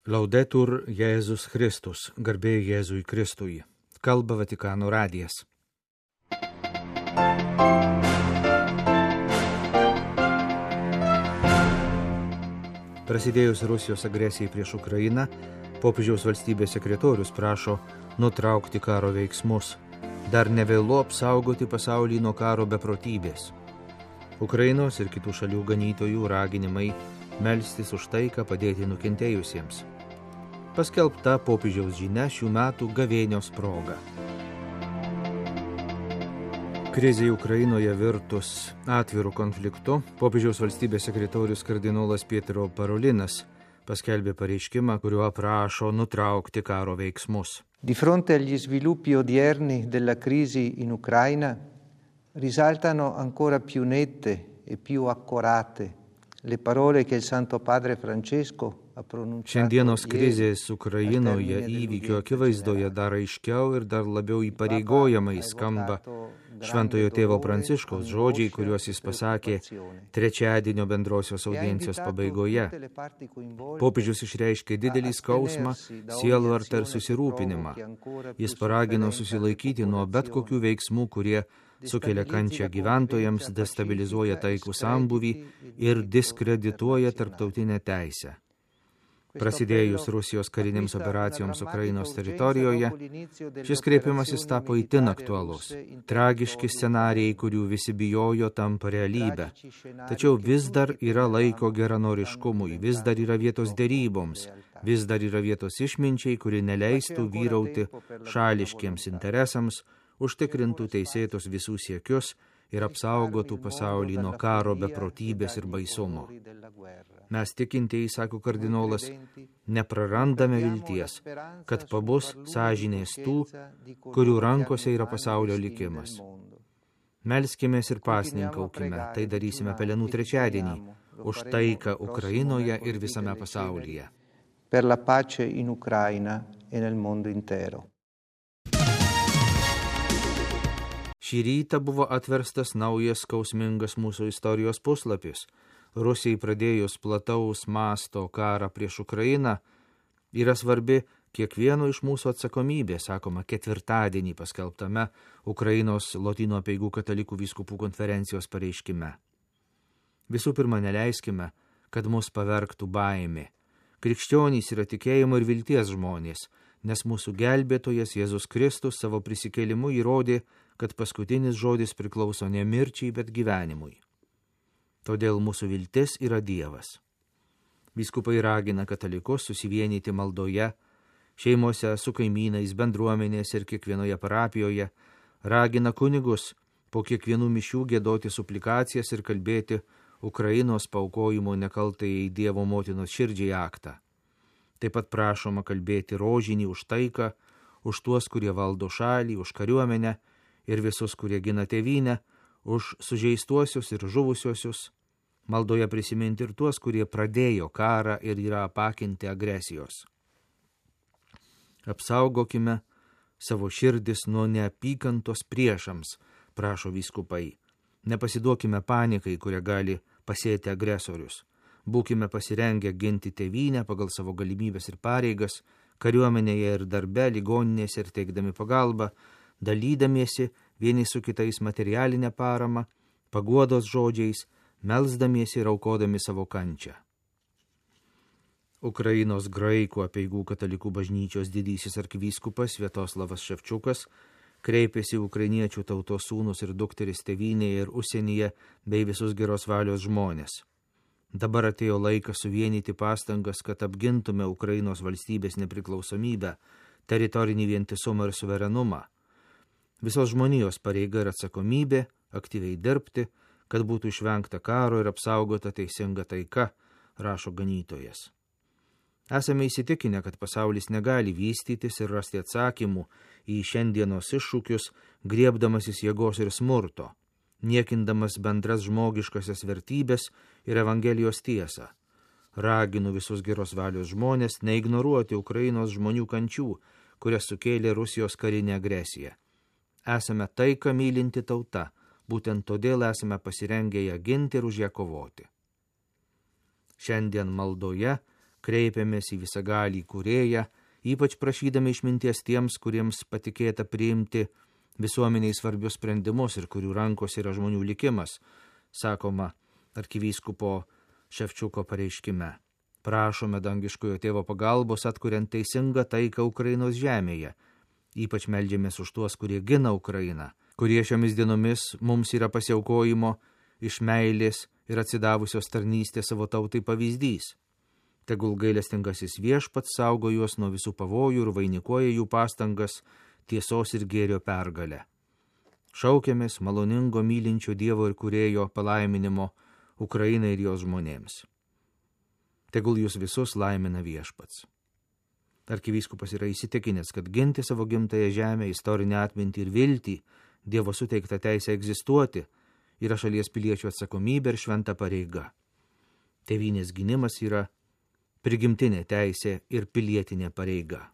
Laudetur Jėzus Kristus, garbė Jėzui Kristui. Kalba Vatikano radijas. Prasidėjus Rusijos agresijai prieš Ukrainą, popiežiaus valstybės sekretorius prašo nutraukti karo veiksmus. Dar nevėlu apsaugoti pasaulį nuo karo beprotybės. Ukrainos ir kitų šalių ganytojų raginimai melstis už taiką, padėti nukentėjusiems. Paskelbta popiežiaus žinia šių metų gavėnios proga. Krizė Ukrainoje virtus atviru konfliktu, popiežiaus valstybės sekretorius kardinolas Pietro Parolinas paskelbė pareiškimą, kuriuo prašo nutraukti karo veiksmus. Di fronte agli sviluppi odierni della crisi in Ucraina, risaltano ancora più nette e più accorate le parole che il Santo Padre Francesco ha pronunciato. Šiandienos krizės Ukrainoje įvykio akivaizdoje dar aiškiau ir dar labiau įpareigojamai skamba Šventojo tėvo Pranciškaus žodžiai, kuriuos jis pasakė trečiadienio bendrosios audiencijos pabaigoje. Popiežius išreiškė didelį skausmą, sielvartą ir susirūpinimą. Jis paragino susilaikyti nuo bet kokių veiksmų, kurie sukelia kančią gyventojams, destabilizuoja taikų sambūvį ir diskredituoja tarptautinę teisę. Prasidėjus Rusijos karinėms operacijoms Ukrainos teritorijoje, šis kreipimasis tapo itin aktualus. Tragiški scenarijai, kurių visi bijojo, tampa realybę. Tačiau vis dar yra laiko geranoriškumui, vis dar yra vietos deryboms, vis dar yra vietos išminčiai, kuri neleistų vyrauti šališkiems interesams, užtikrintų teisėtus visų siekius ir apsaugotų pasaulį nuo karo beprotybės ir baisumo. Mes tikintieji, sako kardinolas, neprarandame vilties, kad pabus sąžinės tų, kurių rankose yra pasaulio likimas. Melskimės ir pasninkaukime, tai darysime Pelenų trečiadienį, už taiką Ukrainoje ir visame pasaulyje. Per la pace in Ucraina e nel mondo intero. Šį rytą buvo atverstas naujas skausmingas mūsų istorijos puslapis. Rusijai pradėjus plataus masto karą prieš Ukrainą yra svarbi kiekvieno iš mūsų atsakomybė, sakoma ketvirtadienį paskelbtame Ukrainos Lotynų apeigų katalikų vyskupų konferencijos pareiškime. Visų pirma, neleiskime, kad mus pavergtų baimė. Krikščionys yra tikėjimo ir vilties žmonės, nes mūsų gelbėtojas Jėzus Kristus savo prisikėlimu įrodė, kad paskutinis žodis priklauso ne mirčiai, bet gyvenimui. Todėl mūsų viltis yra Dievas. Vyskupai ragina katalikus susivienyti maldoje, šeimose su kaimynais, bendruomenėse ir kiekvienoje parapijoje, ragina kunigus po kiekvienų mišių giedoti suplikacijas ir kalbėti Ukrainos paaukojimo nekaltajai Dievo motinos širdžiai aktą. Taip pat prašoma kalbėti rožinį už taiką, už tuos, kurie valdo šalį, už kariuomenę ir visus, kurie gina tėvynę, už sužeistuosius ir žuvusiosius, maldoje prisiminti ir tuos, kurie pradėjo karą ir yra apakinti agresijos. Apsaugokime savo širdis nuo neapykantos priešams, prašo vyskupai. Nepasiduokime panikai, kurią gali pasėti agresorius. Būkime pasirengę ginti tėvynę pagal savo galimybės ir pareigas, kariuomenėje ir darbe, ligoninėse ir teikdami pagalbą, dalydamiesi vieni su kitais materialinę paramą, paguodos žodžiais, melsdamiesi ir aukodami savo kančią. Ukrainos graikų apeigų katalikų bažnyčios didysis arkivyskupas Sviatoslavas Ševčiukas kreipėsi ukrainiečių tautos sūnus ir dukteris tėvynėje ir užsienyje bei visus geros valios žmonės. Dabar atėjo laikas suvienyti pastangas, kad apgintume Ukrainos valstybės nepriklausomybę, teritorinį vientisumą ir suverenumą. Visos žmonijos pareiga ir atsakomybė aktyviai dirbti, kad būtų išvengta karo ir apsaugota teisinga taika, rašo ganytojas. Esame įsitikinę, kad pasaulis negali vystytis ir rasti atsakymų į šiandienos iššūkius, griebdamasis jėgos ir smurto, niekindamas bendras žmogiškasias vertybės ir Evangelijos tiesą. Raginu visus geros valios žmonės neignoruoti Ukrainos žmonių kančių, kurias sukėlė Rusijos karinė agresija. Esame taiką mylinti tauta, būtent todėl esame pasirengę ją ginti ir už ją kovoti. Šiandien maldoje Kreipiamės į visagalį Kūrėją, ypač prašydami išminties tiems, kuriems patikėta priimti visuomeniai svarbius sprendimus ir kurių rankos yra žmonių likimas, sakoma arkivyskupo Ševčiuko pareiškime. Prašome dangiškojo tėvo pagalbos atkuriant teisingą taiką Ukrainos žemėje. Ypač meldžiamės už tuos, kurie gina Ukrainą, kurie šiomis dienomis mums yra pasiaukojimo iš meilės ir atsidavusios tarnystės savo tautai pavyzdys. Tegul gailestingasis Viešpats saugo juos nuo visų pavojų ir vainikuoja jų pastangas tiesos ir gėrio pergalę. Šaukiamės maloningo mylinčio Dievo ir Kūrėjo palaiminimo Ukrainai ir jos žmonėms. Tegul jūs visus laimina Viešpats. Arkivyskupas yra įsitikinęs, kad ginti savo gimtąją žemę, istorinę atmintį ir viltį, Dievo suteiktą teisę egzistuoti, yra šalies piliečių atsakomybė ir šventa pareiga. Tėvynės gynimas yra prigimtinė teisė ir pilietinė pareiga.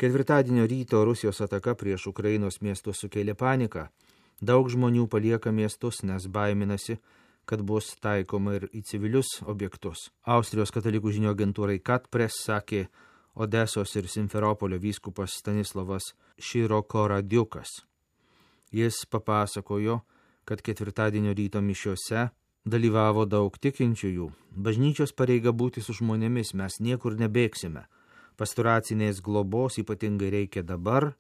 Ketvirtadienio ryto Rusijos ataka prieš Ukrainos miestus sukėlė paniką. Daug žmonių palieka miestus, nes baiminasi, kad bus taikoma ir į civilius objektus. Austrijos katalikų žinių agentūrai Katpress sakė Odesos ir Simferopolio vyskupas Stanislavas Širokoradiukas. Jis papasakojo, kad ketvirtadienio ryto mišiose dalyvavo daug tikinčiųjų. Bažnyčios pareiga būti su žmonėmis, mes niekur nebėgsime. Pastoracinės globos ypatingai reikia dabar,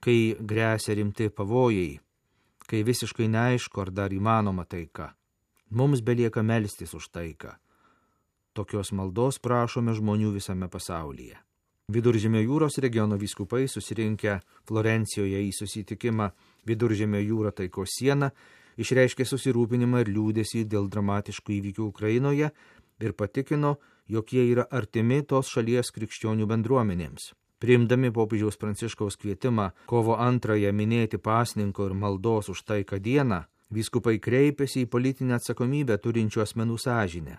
kai gresia rimti pavojai, kai visiškai neaišku, ar dar įmanoma taika. Mums belieka melstis už taiką. Tokios maldos prašome žmonių visame pasaulyje. Viduržemio jūros regiono vyskupai susirinkę Florencijoje į susitikimą Viduržemio jūra taikos siena išreiškė susirūpinimą ir liūdesį dėl dramatiškų įvykių Ukrainoje ir patikino, jog jie yra artimi tos šalies krikščionių bendruomenėms. Priimdami popiežiaus Pranciškaus kvietimą kovo 2 minėti pasninko ir maldos už taiką dieną, vyskupai kreipėsi į politinę atsakomybę turinčių asmenų sąžinę.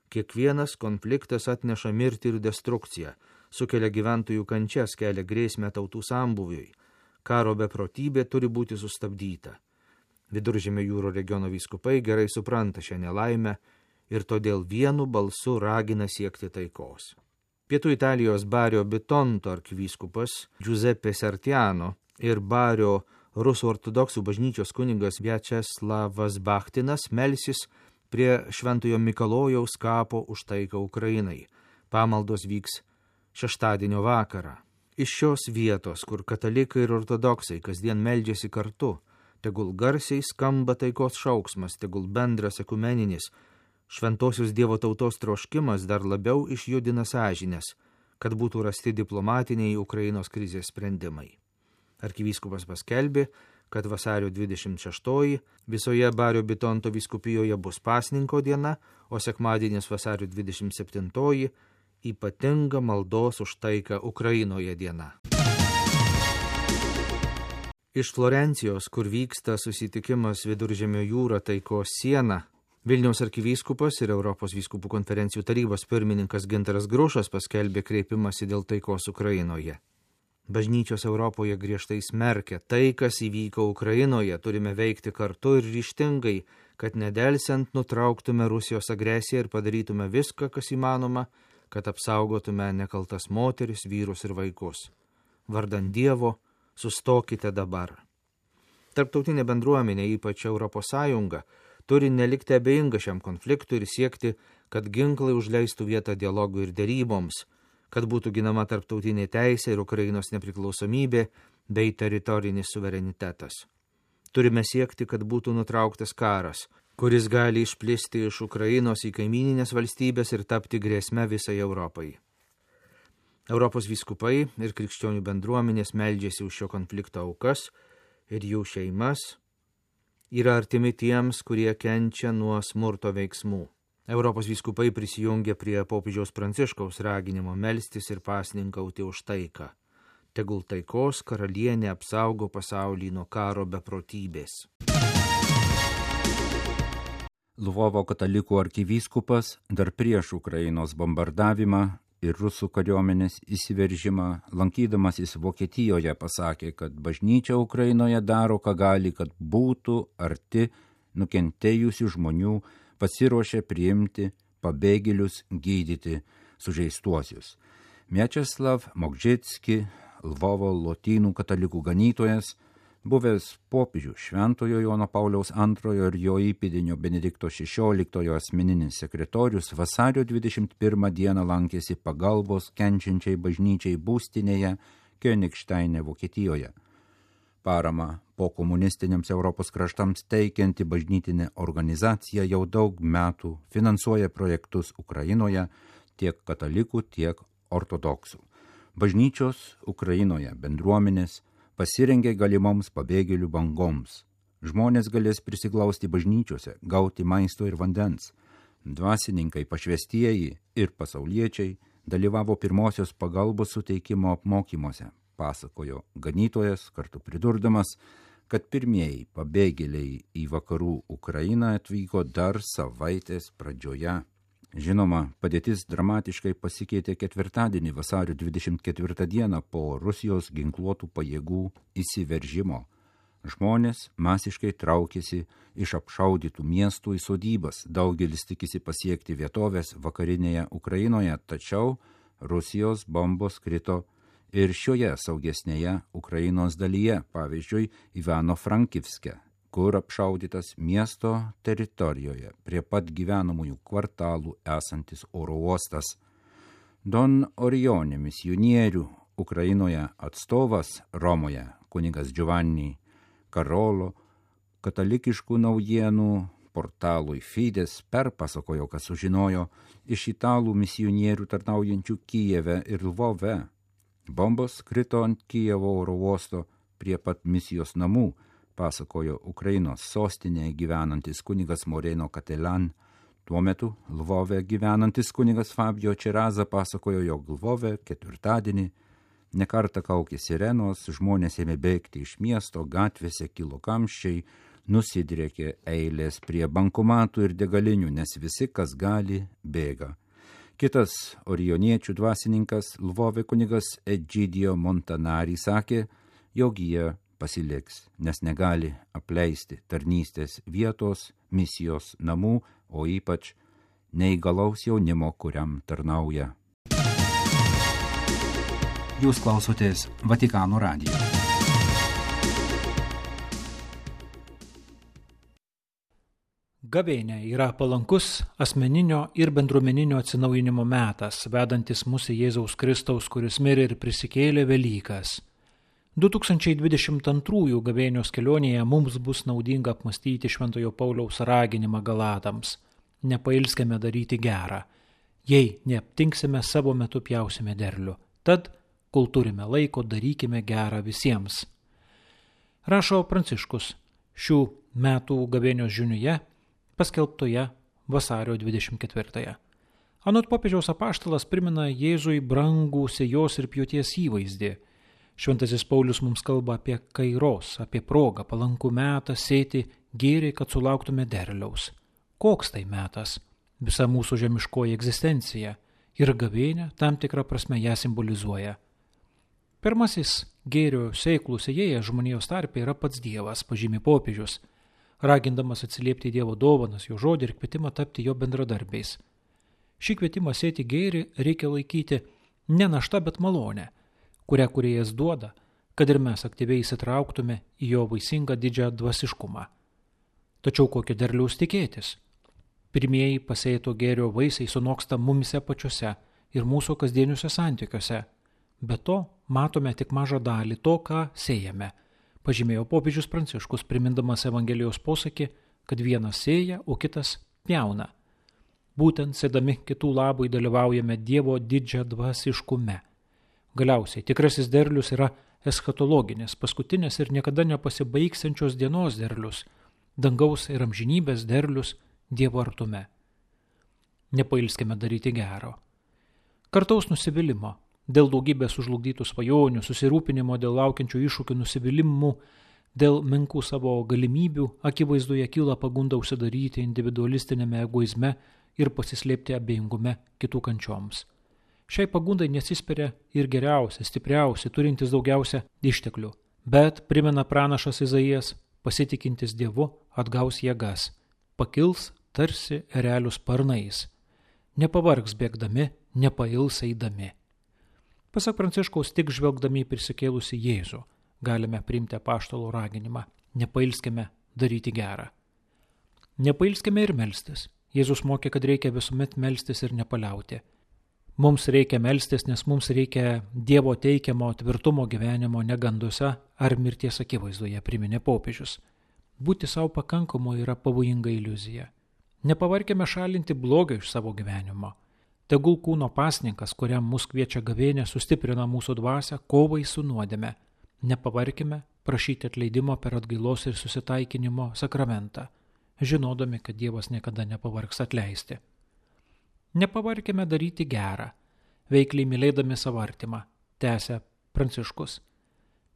Kiekvienas konfliktas atneša mirtį ir destrukciją, sukelia gyventojų kančias, kelia grėsmę tautų sambūviui. Karo beprotybė turi būti sustabdyta. Viduržemio jūro regiono vyskupai gerai supranta šią nelaimę ir todėl vienu balsu ragina siekti taikos. Pietų Italijos Bario Bitonto arkivyskupas Giuseppe Sartiano ir Bario Rusų ortodoksų bažnyčios kunigas Viačeslavas Bachtinas melsis prie Šventojo Mikalojaus kapo už taiką Ukrainai. Pamaldos vyks šeštadienio vakarą. Iš šios vietos, kur katalikai ir ortodoksai kasdien meldžiasi kartu, tegul garsiai skamba taikos šauksmas, tegul bendras ekumeninis, šventosios Dievo tautos troškimas dar labiau išjudina sąžinės, kad būtų rasti diplomatiniai Ukrainos krizės sprendimai. Arkivyskupas paskelbė, kad vasario 26 visoje Bario Bitonto vyskupijoje bus pasninko diena, o sekmadienis vasario 27 ypatinga maldos už taiką Ukrainoje diena. Iš Florencijos, kur vyksta susitikimas Viduržemio jūra taikos siena, Vilniaus arkivyskupas ir Europos vyskupų konferencijų tarybos pirmininkas Gintaras Grušas paskelbė kreipimąsi dėl taikos Ukrainoje. Bažnyčios Europoje griežtai smerkia tai, kas įvyko Ukrainoje, turime veikti kartu ir ryžtingai, kad nedelsiant nutrauktume Rusijos agresiją ir padarytume viską, kas įmanoma, kad apsaugotume nekaltas moteris, vyrus ir vaikus. Vardan Dievo, sustokite dabar. Tarptautinė bendruomenė, ypač Europos Sąjunga, turi nelikti abejinga šiam konfliktui ir siekti, kad ginklai užleistų vietą dialogui ir deryboms, kad būtų ginama tarptautinė teisė ir Ukrainos nepriklausomybė bei teritorinis suverenitetas. Turime siekti, kad būtų nutrauktas karas, kuris gali išplisti iš Ukrainos į kaimyninės valstybės ir tapti grėsme visai Europai. Europos vyskupai ir krikščionių bendruomenės meldžiasi už šio konflikto aukas ir jų šeimas, yra artimi tiems, kurie kenčia nuo smurto veiksmų. Europos vyskupai prisijungė prie popiežiaus Pranciškaus raginimo melstis ir pasninkauti už taiką. Tegul taikos karalienė apsaugo pasaulį nuo karo beprotybės. Lvovo katalikų arkivyskupas dar prieš Ukrainos bombardavimą ir rusų kariuomenės įsiveržimą, lankydamasis Vokietijoje, pasakė, kad bažnyčia Ukrainoje daro, ką gali, kad būtų arti nukentėjusių žmonių, pasiruošė priimti pabėgėlius, gydyti sužeistuosius. Mieczysław Mokžicki, Lvovo lotynų katalikų ganytojas, buvęs popiežių Šventojo Jono Pauliaus II ir jo įpėdinio Benedikto XVI asmeninis sekretorius vasario 21 dieną lankėsi pagalbos kenčiančiai bažnyčiai būstinėje Königsteine, Vokietijoje. Parama po komunistiniams Europos kraštams teikianti bažnytinė organizacija jau daug metų finansuoja projektus Ukrainoje tiek katalikų, tiek ortodoksų. Bažnyčios Ukrainoje bendruomenės pasirengė galimoms pabėgėlių bangoms. Žmonės galės prisiglausti bažnyčiose, gauti maisto ir vandens. Dvasininkai, pašvestieji ir pasauliečiai dalyvavo pirmosios pagalbos suteikimo apmokymuose, pasakojo ganytojas, kartu pridurdamas, kad pirmieji pabėgėliai į vakarų Ukrainą atvyko dar savaitės pradžioje. Žinoma, padėtis dramatiškai pasikeitė ketvirtadienį vasario 24 dieną po Rusijos ginkluotų pajėgų įsiveržimo. Žmonės masiškai traukėsi iš apšaudytų miestų į sodybas, daugelis tikisi pasiekti vietovės vakarinėje Ukrainoje, tačiau Rusijos bombos krito ir šioje saugesnėje Ukrainos dalyje, pavyzdžiui, Ivano-Frankivske, kur apšaudytas miesto teritorijoje prie pat gyvenamųjų kvartalų esantis oro uostas. Don Orione misionierių Ukrainoje atstovas Romoje, kunigas Giovanni Karolo, katalikiškų naujienų portalui Fides perpasakojo, kad sužinojo iš italų misionierių tarnaujančių Kijeve ir Lvove. Bombos krito ant Kijevo oro uosto prie pat misijos namų, pasakojo Ukrainos sostinėje gyvenantis kunigas Moreno Katelan. Tuo metu Lvove gyvenantis kunigas Fabio Čeraza pasakojo, jog Lvove ketvirtadienį nekartą kaukė sirenos, žmonės ėmė bėgti iš miesto, gatvėse kilo kamščiai, nusidriekė eilės prie bankomatų ir degalinių, nes visi, kas gali, bėga. Kitas orioniečių dvasininkas Lvove kunigas Egidio Montanari sakė, jog jie pasiliks, nes negali apleisti tarnystės vietos, misijos namų, o ypač neįgalaus jaunimo, kuriam tarnauja. Jūs klausotės Vatikano radijo. Gavėnia yra palankus asmeninio ir bendruomeninio atsinaujinimo metas, vedantis mus į Jėzaus Kristaus, kuris mirė ir prisikėlė Velykas. 2022 gavėnios kelionėje mums bus naudinga apmąstyti Šventojo Pauliaus raginimą Galatams. Nepailskime daryti gerą. Jei neaptinksime, savo metu pjausime derlių. Tad, kol turime laiko, darykime gerą visiems. Rašo Pranciškus šių metų gavėnios žiniuje, paskelbtoje vasario 24. Anot popiežiaus apaštalas primena Jėzui brangų sėjos ir pjūties įvaizdį. Šventasis Paulius mums kalba apie kairos, apie progą, palankų metą sėti gėrį, kad sulauktume derliaus. Koks tai metas? Visa mūsų žemiškoji egzistencija ir gavėnia tam tikrą prasme ją simbolizuoja. Pirmasis gėrio sėklų sėjėjas žmonijos tarpe yra pats Dievas, pažymi popiežius, ragindamas atsiliepti Dievo dovanas, jo žodį ir kvietimą tapti jo bendradarbiais. Šį kvietimą sėti gėrį reikia laikyti ne našta, bet malonę, kurią Kūrėjas duoda, kad ir mes aktyviai įsitrauktume į jo vaisingą didžią dvasiškumą. Tačiau kokio derliaus tikėtis? Pirmieji pasėto gėrio vaisiai sunoksta mumise pačiuose ir mūsų kasdieniuose santykiuose. Be to, matome tik mažą dalį to, ką sėjame, pažymėjo popiežius Pranciškus, primindamas Evangelijos posakį, kad vienas sėja, o kitas pjauna. Būtent sėdami kitų labui dalyvaujame Dievo didžią dvasiškume. Galiausiai tikrasis derlius yra eschatologinis, paskutinės ir niekada nepasibaigsiančios dienos derlius, dangaus ir amžinybės derlius Dievo artume. Nepailskime daryti gero. Kartaus nusivylimą dėl daugybės sužlugdytų svajonių, susirūpinimo dėl laukiančių iššūkių, nusivylimų dėl menkų savo galimybių, akivaizdoje kyla pagunda užsidaryti individualistinėme egoizme ir pasislėpti abejingume kitų kančioms. Šiai pagundai nesispiria ir geriausia, stipriausia, turintis daugiausia išteklių. Bet, primena pranašas Izaijas, pasitikintis Dievu atgaus jėgas, pakils tarsi erelių sparnais. nepavargs bėgdami, nepails eidami. Pasak Pranciškaus, tik žvelgdami į prisikėlusį Jėzų galime priimti apaštalų raginimą, nepailskime daryti gerą. Nepailskime ir melstis. Jėzus mokė, kad reikia visuomet melstis ir nepaliauti. Mums reikia melstis, nes mums reikia Dievo teikiamo tvirtumo gyvenimo neganduose ar mirties akivaizdoje, priminė popiežius. Būti savo pakankamu yra pavojinga iliuzija. Nepavarkime šalinti blogio iš savo gyvenimo. Tegul kūno pasninkas, kuriam mus kviečia gavėnė, sustiprina mūsų dvasią kovai su nuodėme. Nepavarkime prašyti atleidimo per atgailos ir susitaikinimo sakramentą, žinodami, kad Dievas niekada nepavargs atleisti. Nepavarkime daryti gerą, veikliai mylėdami savo artimą, tęsia Pranciškus.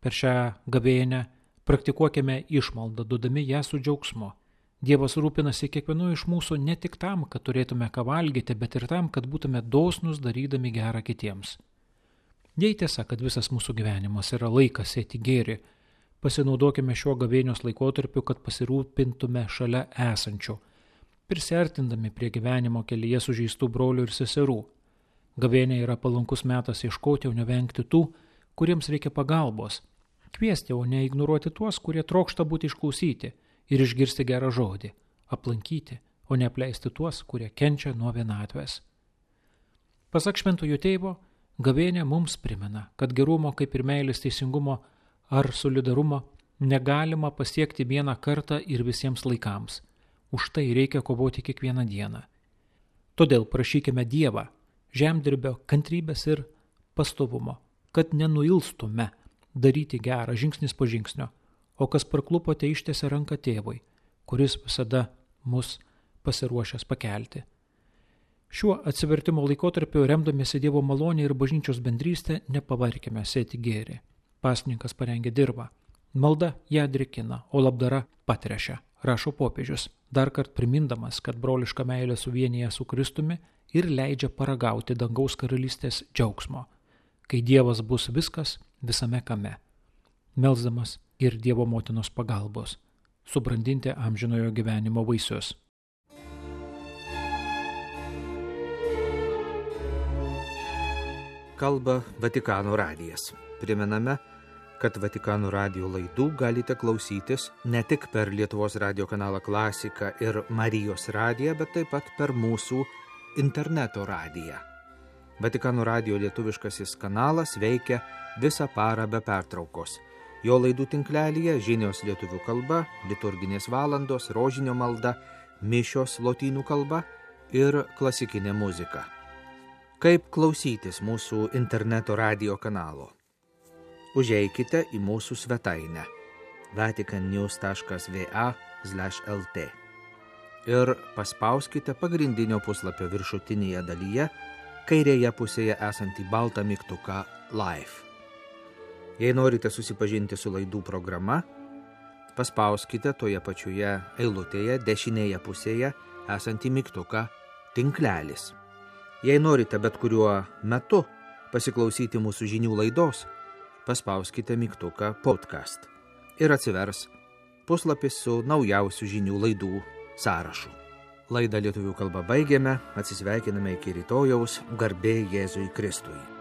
Per šią gavėnę praktikuokime išmaldą, duodami ją su džiaugsmu. Dievas rūpinasi kiekvienu iš mūsų ne tik tam, kad turėtume ką valgyti, bet ir tam, kad būtume dosnus darydami gerą kitiems. Jei tiesa, kad visas mūsų gyvenimas yra laikas sėti gėrį, pasinaudokime šiuo gavėnios laikotarpiu, kad pasirūpintume šalia esančių, prisiartindami prie gyvenimo kelyje sužeistų brolių ir seserų. Gavėnė yra palankus metas ieškoti, o nevengti tų, kuriems reikia pagalbos. Kviesti, o ne ignoruoti tuos, kurie trokšta būti išklausyti ir išgirsti gerą žodį, aplankyti, o ne apleisti tuos, kurie kenčia nuo vienatvės. Pasak Šventojo Tėvo, gavėnė mums primena, kad gerumo kaip ir meilės, teisingumo ar solidarumo negalima pasiekti vieną kartą ir visiems laikams. Už tai reikia kovoti kiekvieną dieną. Todėl prašykime Dievą, žemdirbio, kantrybės ir pastovumo, kad nenuilstume daryti gerą žingsnis po žingsnio, o kas parklupote ištiesia ranką Tėvui, kuris visada mus pasiruošęs pakelti. Šiuo atsivertimo laikotarpiu, remdamiesi Dievo malonę ir bažnyčios bendrystę, nepavarkime sėti gėrį. Pasninkas parengė dirvą, malda ją drėkina, o labdara patrešia, rašo popiežius, dar kart primindamas, kad broliška meilė suvienyje su Kristumi ir leidžia paragauti dangaus karalystės džiaugsmo, kai Dievas bus viskas visame kame. Melsdamas ir Dievo motinos pagalbos, subrandinti amžinojo gyvenimo vaisius. Kalba Vatikano radijas. Primename, kad Vatikano radijo laidų galite klausytis ne tik per Lietuvos radijo kanalą Klasika ir Marijos radiją, bet taip pat per mūsų interneto radiją. Vatikano radijo lietuviškasis kanalas veikia visą parą be pertraukos. Jo laidų tinklelyje žinios lietuvių kalba, liturginės valandos, rožinio malda, mišios lotynų kalba ir klasikinė muzika. Kaip klausytis mūsų interneto radijo kanalo? Užeikite į mūsų svetainę vaticannews.va/lt ir paspauskite pagrindinio puslapio viršutinėje dalyje kairėje pusėje esantį baltą mygtuką Live. Jei norite susipažinti su laidų programa, paspauskite toje pačioje eilutėje dešinėje pusėje esantį mygtuką Tinklelis. Jei norite bet kuriuo metu pasiklausyti mūsų žinių laidos, paspauskite mygtuką Podcast ir atsivers puslapis su naujausių žinių laidų sąrašu. Laidą lietuvių kalba baigėme, atsisveikiname iki rytojaus, garbė Jėzui Kristui.